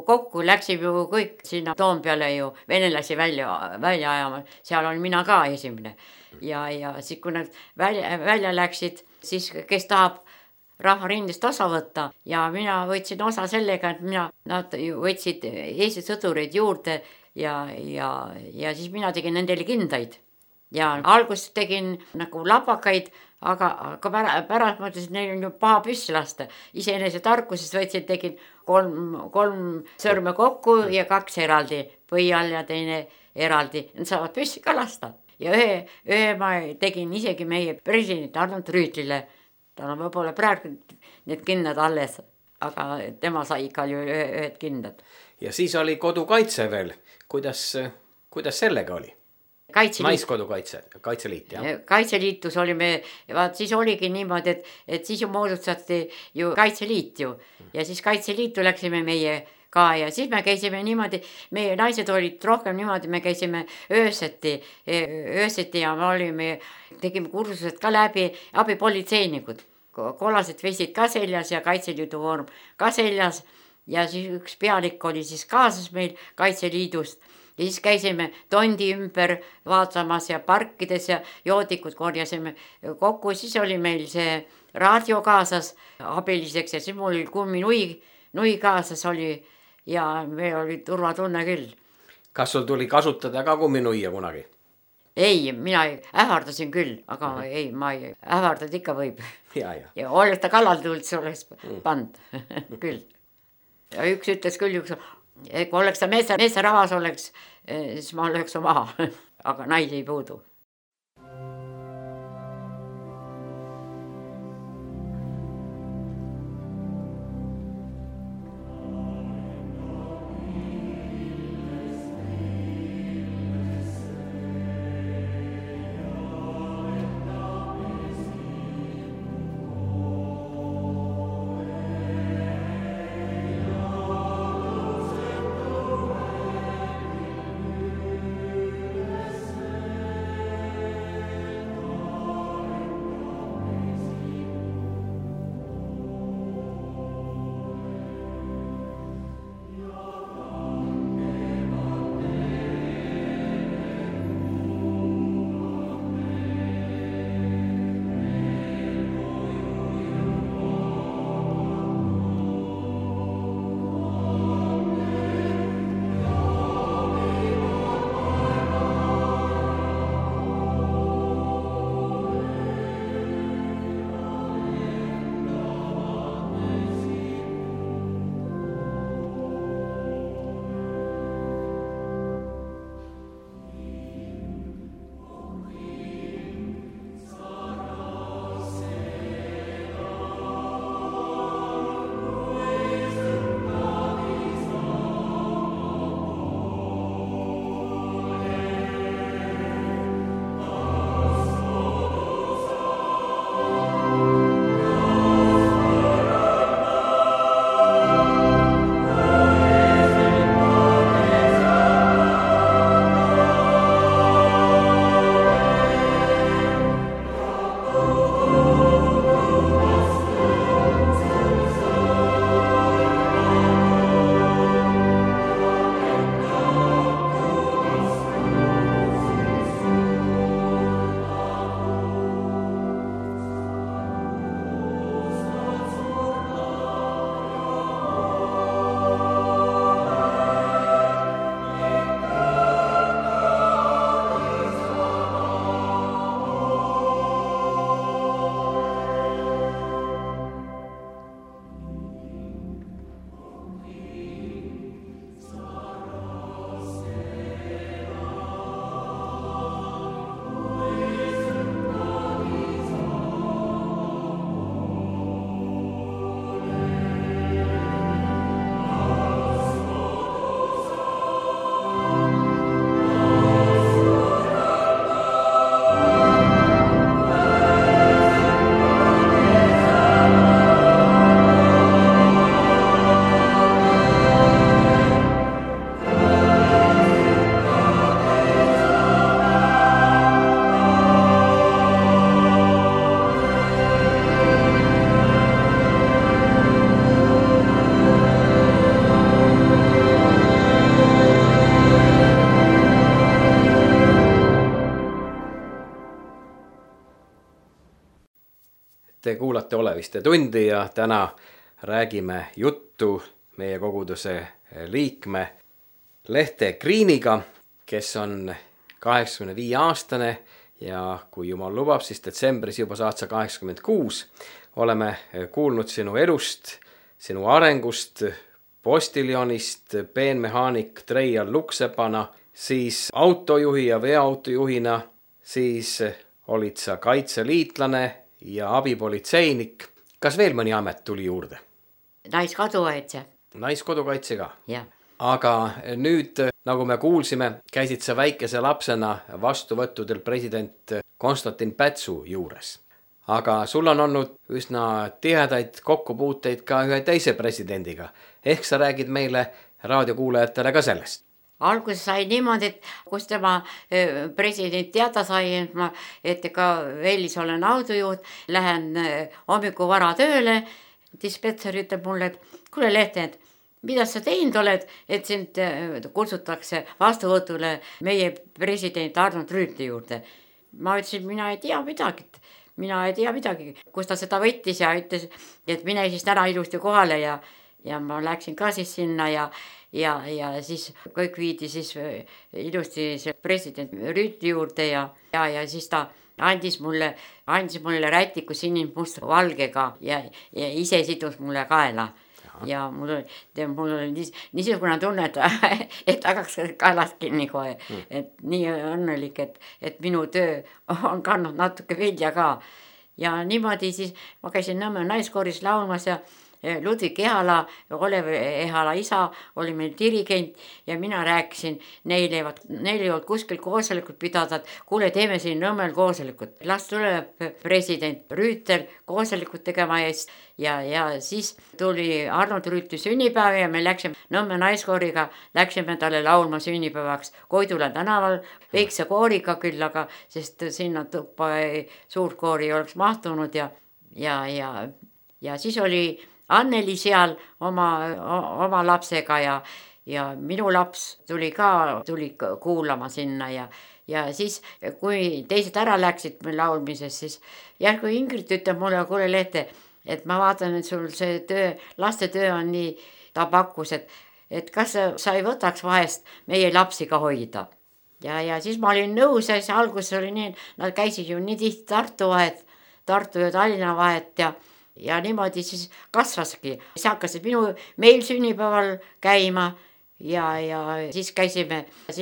kokku, läksime ju kõik sinna Toompeale ju venelasi välja ajama, seal oli mina ka esimene. Ja siis kui nad välja läksid, siis kes tahab Rahvarindest osa võtta ja mina võtsin osa sellega, et nad võtsid Eesti sõdureid juurde ja siis mina tegin nendele kindaid. Ja alguses tegin nagu lapakaid, aga pärast mõtlesin, et neil on ju paha püssi lasta. Iseenese tarkusest võtsin, tegin kolm sõrme kokku ja 2 eraldi, või all ja teine eraldi. Nad saavad püssi ka lasta. Ja ühe ma tegin isegi meie president Arnold Rüütlile. Tal on võib-olla praegu need kindad alles, aga tema sai ikka ju ühed kindad. Ja siis oli kodukaitse veel. Kuidas sellega oli? Naiskodukaitse, Kaitseliit, jah? Kaitseliitus olime, siis oligi niimoodi, et siis ju moodustati ju Kaitseliit ju. Ja siis Kaitseliitu läksime meie ka ja siis me käisime niimoodi, meie naised olid rohkem niimoodi, me käisime ööseti ja me tegime kursused ka läbi, abipolitseinikud. Kollased vestid ka seljas ja Kaitseliidu vorm ka seljas ja siis üks pealik oli siis kaasas meil Kaitseliidust. Ja siis käisime tondi ümber vaatamas ja parkides ja joodikud korjasime kokku. Siis oli meil see raadio kaasas abiliseks ja siis mul oli kumminui kaasas oli ja meil oli turvatunne küll. Kas sul tuli kasutada ka kumminuia kunagi? Ei, mina ähvardasin küll, aga ei, ma ei ähvardad ikka võib. Ja oleks ta kallal tulnud, see oleks pand küll. Ja üks ütles küll, kui oleks ta meesteravas oleks, siis ma oleks maha, aga naisi ei puudu. Te kuulate Oleviste tundi ja täna räägime juttu meie koguduse liikme Lehte Greeniga, kes on 85-aastane ja kui jumal lubab, siis detsembris juba saad sa 86. Oleme kuulnud sinu elust, sinu arengust, postiljonist, peenmehaanik treial luksepana, siis autojuhi ja veoautojuhina, siis olid sa kaitseliitlane ja abipolitseinik. Kas veel mõni amet tuli juurde? Naiskodukaitse. Naiskodukaitse ka? Jah. Aga nüüd, nagu me kuulsime, käisid sa väikese lapsena vastuvõttudel president Konstantin Pätsu juures. Aga sul on olnud üsna tihedaid kokkupuuteid ka ühe teise presidendiga. Ehk sa räägid meile raadiokuulajatele ka sellest? Alguses sai niimoodi, et kus tema president teada sai, et ka Vellis olen autojuht, lähen hommiku vara tööle, dispetser ütleb mulle, et kuule Lehte, et mida sa teinud oled, et sind kutsutakse vastuvõtule meie president Arnold Rüütli juurde. Ma ütlesin, mina ei tea midagi, kus ta seda võttis ja ütles, et mine siis täna ilusti kohale ja ma läksin ka siis sinna ja siis kõik viidi siis ilusti see president Rüütli juurde ja siis ta andis mulle rätiku sinimust valgega ja ise sidus mulle kaela. Ja mul oli niisugune tunne, et hakkaks kaelast kinni kohe, et nii õnnelik, et minu töö on kandnud natuke vilja ka. Ja niimoodi siis ma käisin Nõmme naiskooris laulmas ja Ludvig Ehala, Olev Ehala isa oli meil dirigent ja mina rääkisin, neil ei olnud kuskil koosolekut pidada, et kuule, teeme siin Nõmmel koosolekut. Las tuleb president Rüütel koosolekut tegema ja siis tuli Arnold Rüütli sünnipäev ja me läksime Nõmme naiskooriga, läksime talle laulma sünnipäevaks Koidula tänaval, väikse kooriga küll, aga sest sinna tuppa suurt koori ei oleks mahtunud ja siis oli Anneli seal oma lapsega ja minu laps tuli kuulama sinna ja siis, kui teised ära läksid meil laulmises, siis järgu Ingrid ütleb mulle, kuule Lehte, et ma vaatan, et sul see laste töö on nii, ta pakkus, et kas sa ei võtaks vahest meie lapsi ka hoida. Ja siis ma olin nõus ja siis alguses oli nii, nad käisid ju nii tihti Tartu ja Tallinna vahet ja niimoodi siis kasvaski. Siis hakkasid meil sünnipäeval käima ja siis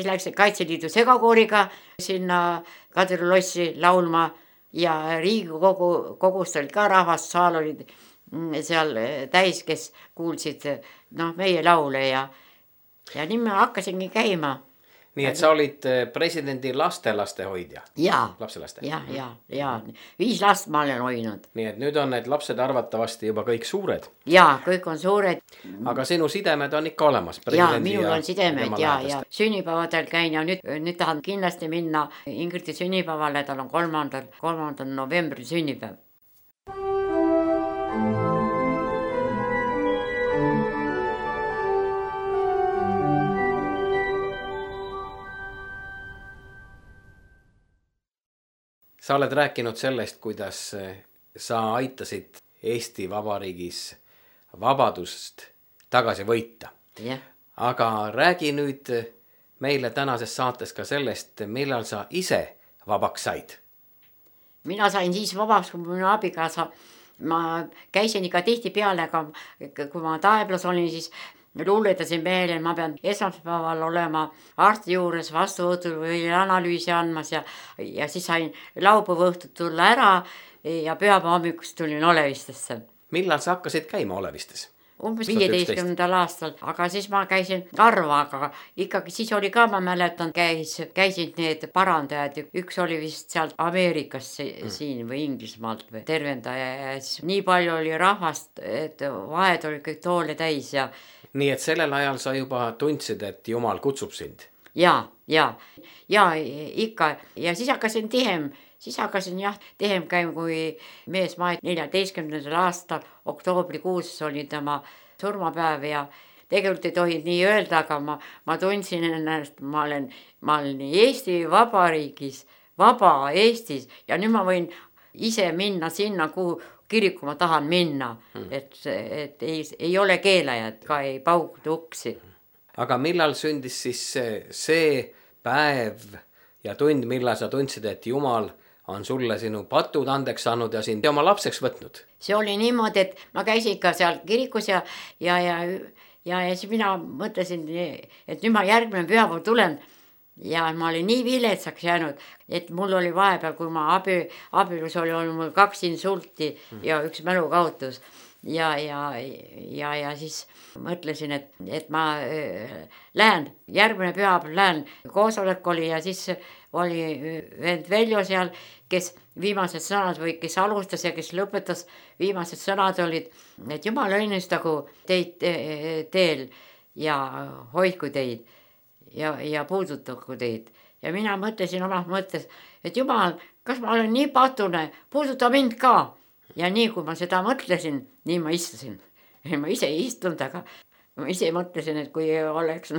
läksin Kaitseliidu segakooriga sinna Kadriorussi laulma ja Riigikogust oli ka rahvast, saal oli seal täis, kes kuulsid meie laule ja nii ma hakkasingi käima. Nii et sa olid presidendi lastelaste hoidja? Jaa. Lapselaste? Jaa. 5 last ma olen hoidnud. Nii et nüüd on need lapsed arvatavasti juba kõik suured? Jaa, kõik on suured. Aga sinu sidemed on ikka olemas? Jaa, minul on sidemed ja sünnipäevadel käin ja nüüd tahan kindlasti minna Ingridi sünnipäevale, tal on 3. novembril sünnipäev. Sa oled rääkinud sellest, kuidas sa aitasid Eesti Vabariigis vabadust tagasi võita. Yeah. Aga räägi nüüd meile tänases saates ka sellest, millal sa ise vabaks said. Mina sain siis vabaks, kui minu abikaasa. Ma käisin ikka tihti peale, aga kui ma Taeblas olin, siis luuletasin meele, ma pean esmaspäeval olema arsti juures vastuvõtul või analüüsi andmas ja siis sain laupäeva õhtut tulla ära ja pühapäeva hommikust tulin Olevistesse. Millal sa hakkasid käima Olevistes? Umbes 15. aastal, aga siis ma käisin harva, aga ikkagi siis oli ka, ma mäletan, käisid need parandajad, üks oli vist sealt Ameerikas siin või Inglismaalt või tervendaja ja siis nii palju oli rahvast, et vahed oli kõik toole täis ja nii et sellel ajal sa juba tundsid, et Jumal kutsub sind? Ja ikka. Ja siis hakkasin tehem käima, kui mees maet 14. aastal, oktoobrikuus oli tema surmapäev ja tegelikult ei tohi nii öelda, aga ma tundsin ennast, ma olen Eesti Vabariigis, vaba Eestis ja nüüd ma võin ise minna sinna, kuhu kiriku ma tahan minna, et ei ole keelajat, ka ei pauguta uksi. Aga millal sündis siis see päev ja tund, millal sa tundsid, et Jumal on sulle sinu patud andeks saanud ja sind oma lapseks võtnud? See oli niimoodi, et ma käisin ka seal kirikus ja siis mina mõtlesin, et nüüd ma järgmine pühapäev tulen ja ma olin nii viletsaks jäänud, et mul oli vahepeal, kui ma abielus oli mul 2 insulti ja 1 mälukaotus ja siis mõtlesin, et ma lähen, järgmine pühapäev lähen, koosolek oli ja siis oli vend Veljo seal, kes viimased sõnad või kes alustas ja kes lõpetas, viimased sõnad olid, et Jumal õnnistagu teid teel ja hoidku teid ja puudutagu teid. Ja mina mõtlesin oma mõttes, et Jumal, kas ma olen nii patune, puuduta mind ka. Ja nii kui ma seda mõtlesin, nii ma istusin. Ma ise ei istunud, aga ma ise mõtlesin, et kui oleks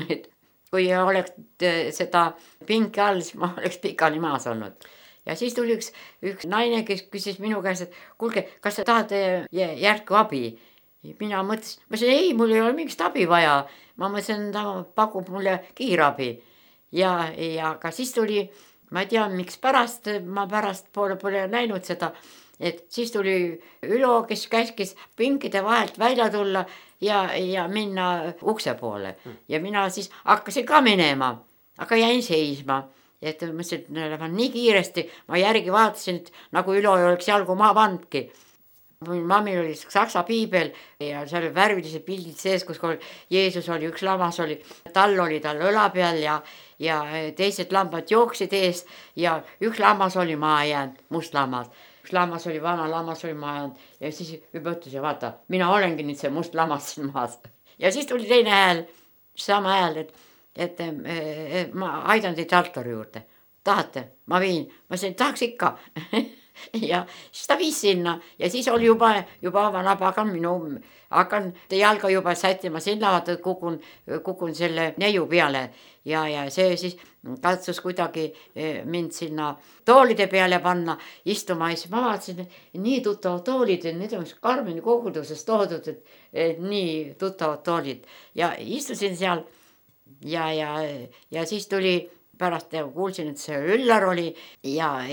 seda pinki all, siis ma oleks pikali maas olnud. Ja siis tuli üks naine, kes küsis minu käest, et kuulge, kas sa tahate järku abi? Mina mõtlesin, ei, mul ei ole mingit abi vaja. Ma mõtlesin, ta pakub mulle kiirabi. Ja ka siis tuli, ma ei tea, miks ma pärast pole näinud seda, et siis tuli Ülo, kes käskis pinkide vahelt välja tulla ja minna ukse poole. Ja mina siis hakkasin ka minema, aga jäin seisma. Et mõtlesin, et lähen nii kiiresti, ma järgi vaatasin, et nagu Ülo ei oleks jalgu maa pandki. Mammil oli saksa piibel ja seal oli värvilised pildid sees, kus Jeesus oli, üks lammas oli, tal õla peal ja teised lambad jooksid ees ja üks lammas oli maa jäänud, must lammas. Üks lammas oli, vana lammas oli maa jäänud ja siis juba ütles ja vaata, mina olengi nüüd see must lammas siin maas. Ja siis tuli teine hääl, sama hääl, et ma aidan teid altori juurde. Tahate? Ma viin. Ma ütlesin, tahaks ikka. Ja siis ta viis sinna ja siis oli juba vanaba, hakkan jalga juba sättima sinna, vaata, kukun selle neiu peale ja see siis katsus kuidagi mind sinna toolide peale panna, istuma ja siis ma vaatasin, nii tuttavad toolid, need on Karmeni kogudusest toodud, et nii tuttavad toolid ja istusin seal ja siis tuli pärast kuulsin, et see Üllar oli ja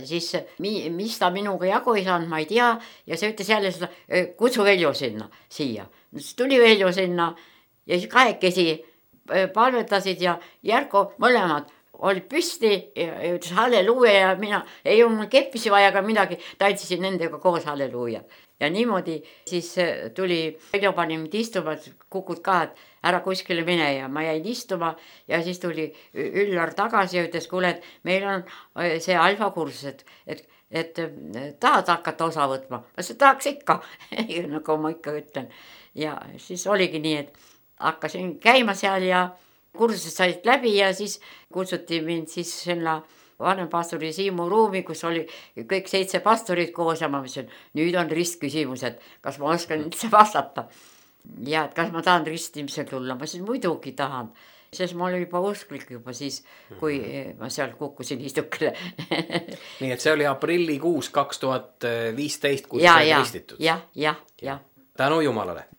siis mis ta minuga jagu ei saanud, ma ei tea ja see ütles jälle seda, kutsu Veljo siia. Siis tuli Veljo sinna ja siis kahekesi palvetasid ja Järko mõlemad olid püsti ja ütles halleluuja ja mina ei olnud mul keppisi vaja ka midagi, tantsisin nendega koos halleluuja. Ja niimoodi siis tuli Veljo pani mind istuma, kukud ka, et ära kuskile mine ja ma jäin istuma ja siis tuli Üllar tagasi ja ütles, kuule, et meil on see alfa kursus, et tahad hakata osa võtma. Ma tahaks ikka, nagu ma ikka ütlen. Ja siis oligi nii, et hakkasin käima seal ja kursused said läbi ja siis kutsuti mind siis sinna vanempastori Siimu ruumi, kus oli kõik 7 pastorid koos ja ma mõtlesin, nüüd on ristküsimused, kas ma oskan üldse vastata. Ja et kas ma tahan ristimisel tulla, ma siis muidugi tahan, sest ma olin juba usklik juba siis, kui ma seal kukkusin istukile. Nii et see oli aprillikuus 2015, kui sa said ristitud. Ja. Tänu Jumalale.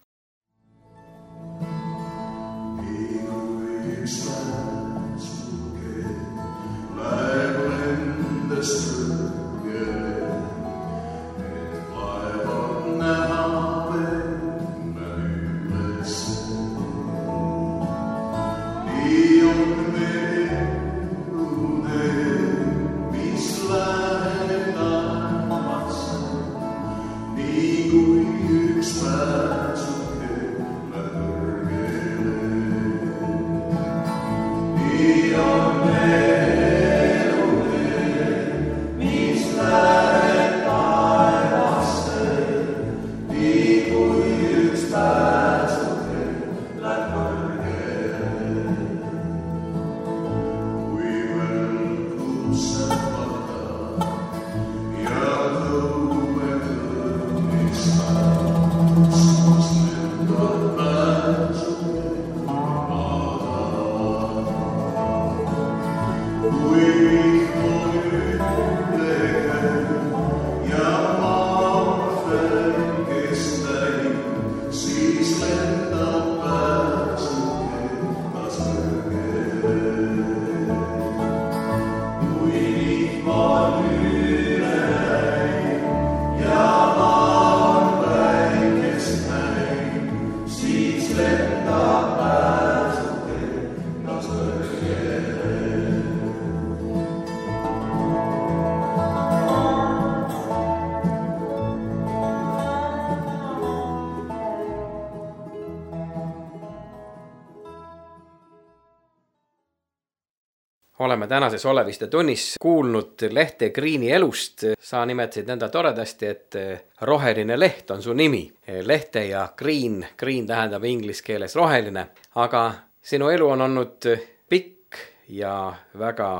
Oleme tänases Oleviste tunnis kuulnud Lehte Greeni elust. Sa nimetasid nõnda toredasti, et roheline leht on su nimi. Lehte ja Green tähendab inglise keeles roheline. Aga sinu elu on olnud pikk ja väga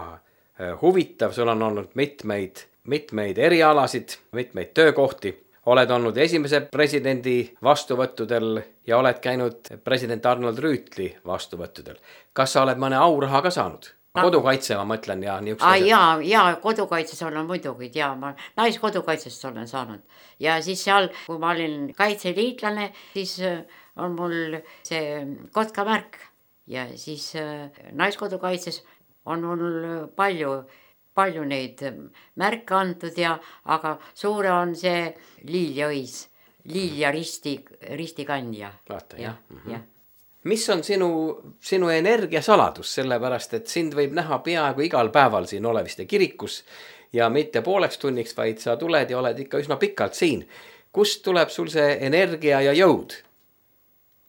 huvitav. Sul on olnud mitmeid erialasid, mitmeid töökohti. Oled olnud esimese presidendi vastuvõttudel ja oled käinud president Arnold Rüütli vastuvõttudel. Kas sa oled mõne auraha ka saanud? Kodukaitse ma mõtlen ja niisugused. Jaa, kodukaitses olen muidugi, ma naiskodukaitsest olen saanud. Ja siis seal, kui ma olin kaitseliitlane, siis on mul see kotkamärk. Ja siis naiskodukaitses on mul palju neid märke antud, aga suure on see liiljaõis, liilja ristikandja. Vaata, jah. Mis on sinu energiasaladus, sellepärast, et sind võib näha peaaegu igal päeval siin Oleviste kirikus ja mitte pooleks tunniks, vaid sa tuled ja oled ikka üsna pikalt siin. Kust tuleb sul see energia ja jõud?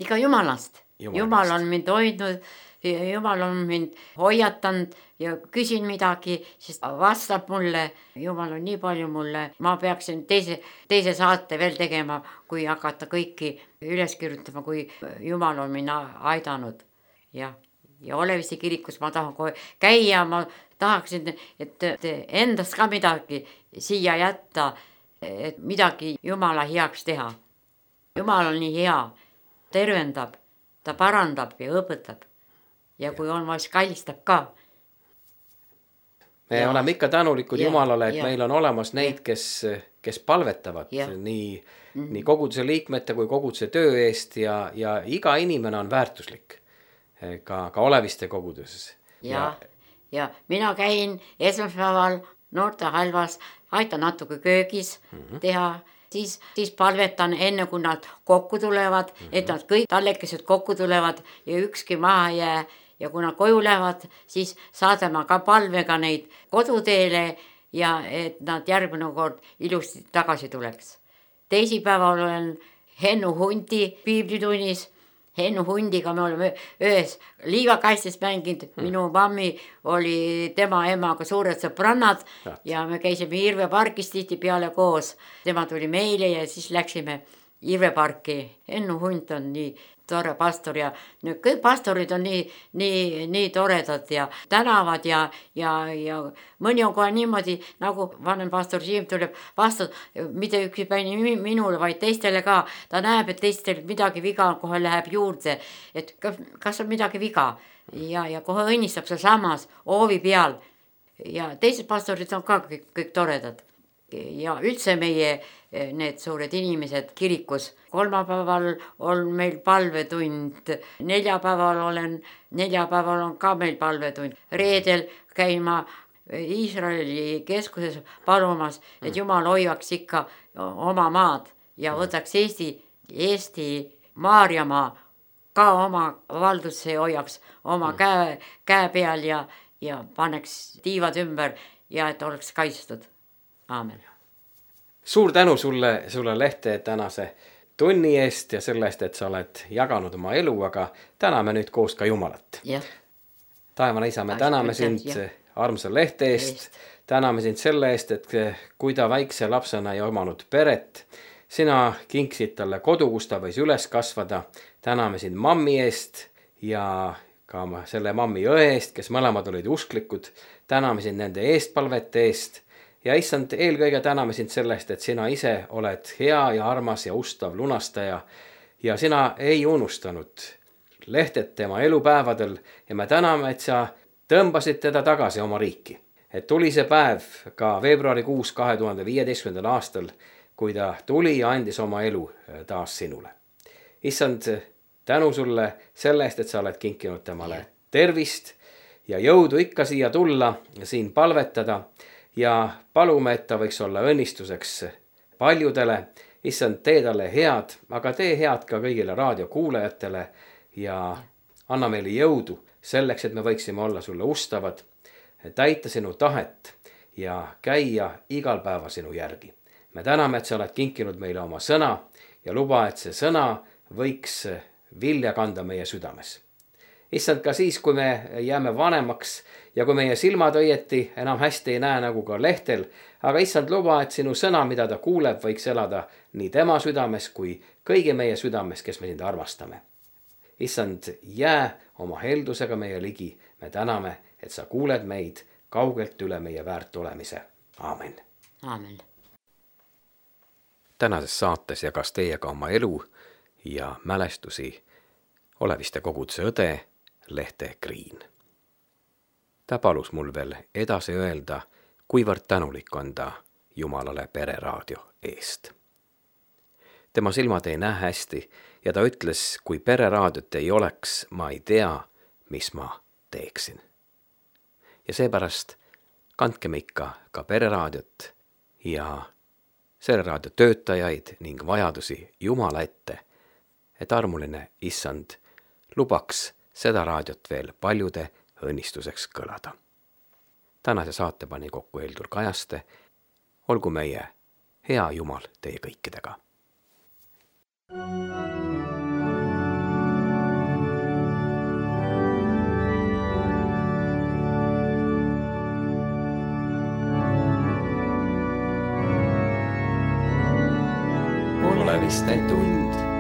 Ikka Jumalast. Jumal on mind hoidnud, Jumal on mind hoiatanud ja küsin midagi, siis vastab mulle. Jumal on nii palju mulle. Ma peaksin teise saate veel tegema, kui hakata kõiki üles kirjutama, kui Jumal on mind aidanud. Ja Oleviste kirikus ma tahan kohe käia, ma tahaksin, et endast ka midagi siia jätta, et midagi Jumala heaks teha. Jumal on nii hea, tervendab, ta parandab ja õpetab. Ja kui on vaid kallistab ka. Me oleme ikka tänulikud Jumalale, et meil on olemas neid, kes palvetavad nii koguduse liikmete kui koguduse töö eest ja iga inimene on väärtuslik ka Oleviste koguduses. Ja mina käin esmaspäeval noortehalvas, aitan natuke köögis teha, siis palvetan enne, kui nad kokku tulevad, et nad kõik tallekesed kokku tulevad ja ükski maha jää. Ja kui nad koju lähevad, siis saadame ka palvega neid koduteele ja et nad järgmine kord ilusti tagasi tuleks. Teisipäeval olen Hennu Hundi piiblitunnis. Hennu Hundiga me oleme ühes liivakastis mänginud. Minu mammi oli tema emaga suured sõbrannad ja me käisime Irve pargis tihti peale koos. Tema tuli meile ja siis läksime Irve parki. Hennu Hund on nii tore pastor ja kõik pastorid on nii toredad ja tänavad ja mõni on kohe niimoodi, nagu vanem pastor Siim tuleb vastu, mitte üksipäini minule, vaid teistele ka. Ta näeb, et teistel midagi viga kohe läheb juurde, et kas on midagi viga ja kohe õnnistab see samas hoovi peal. Ja teised pastorid on ka kõik toredad. Ja üldse meie need suured inimesed kirikus. Kolmapäeval on meil palvetund, neljapäeval on ka meil palvetund. Reedel käin ma Iisraeli keskuses palumas, et Jumal hoiaks ikka oma maad ja võtaks Eesti Maarjamaa ka oma valdusse hoiaks oma käe peal ja paneks tiivad ümber ja et oleks kaitstud. Aamen. Suur tänu sulle Lehte tänase tunni eest ja sellest, et sa oled jaganud oma elu, aga täname nüüd koos ka Jumalat. Taevane Isa, me täname sind armsa Lehte eest, täname sind selle eest, et kui ta väikse lapsena ei omanud peret, sina kinksid talle kodu, kus ta võis üles kasvada. Täname sind mammi eest ja ka selle mammi õe eest, kes mõlemad olid usklikud. Täname sind nende eestpalvete eest. Ja issand, eelkõige täname sind sellest, et sina ise oled hea ja armas ja ustav lunastaja ja sina ei unustanud Lehtet tema elupäevadel ja me täname, et sa tõmbasid teda tagasi oma riiki. Et tuli see päev ka veebruarikuus 2015. aastal, kui ta tuli ja andis oma elu taas sinule. Issand, tänu sulle selle eest, et sa oled kinkinud temale tervist ja jõudu ikka siia tulla ja siin palvetada. ja palume, et ta võiks olla õnnistuseks paljudele. Issand, tee talle head, aga tee head ka kõigile raadiokuulajatele ja anna meile jõudu selleks, et me võiksime olla sulle ustavad, täita sinu tahet ja käia igal päeva sinu järgi. Me täname, et sa oled kinkinud meile oma sõna ja luba, et see sõna võiks vilja kanda meie südames. Issand, ka siis, kui me jääme vanemaks ja kui meie silmad õieti enam hästi ei näe nagu ka lehtel, aga issand, luba, et sinu sõna, mida ta kuuleb, võiks elada nii tema südames kui kõigi meie südames, kes me sind armastame. Issand, jää oma heldusega meie ligi. Me täname, et sa kuuled meid kaugelt üle meie väärt olemise. Aamen. Aamen. Tänases saates jagas teiega oma elu ja mälestusi Oleviste koguduse õde Lehte Kriin. Ta palus mul veel edasi öelda, kuivõrd tänulik on ta Jumalale Pereraadio eest. Tema silmad ei näe hästi ja ta ütles, kui Pereraadiot ei oleks, ma ei tea, mis ma teeksin. Ja seepärast kandkem ikka ka Pereraadiot ja selle raadio töötajaid ning vajadusi Jumala ette, et armuline issand lubaks seda raadiot veel paljude õnnistuseks kõlada. Tänase saate pani kokku Heldur Kajaste. Olgu meie hea Jumal teie kõikidega. Oleviste tund.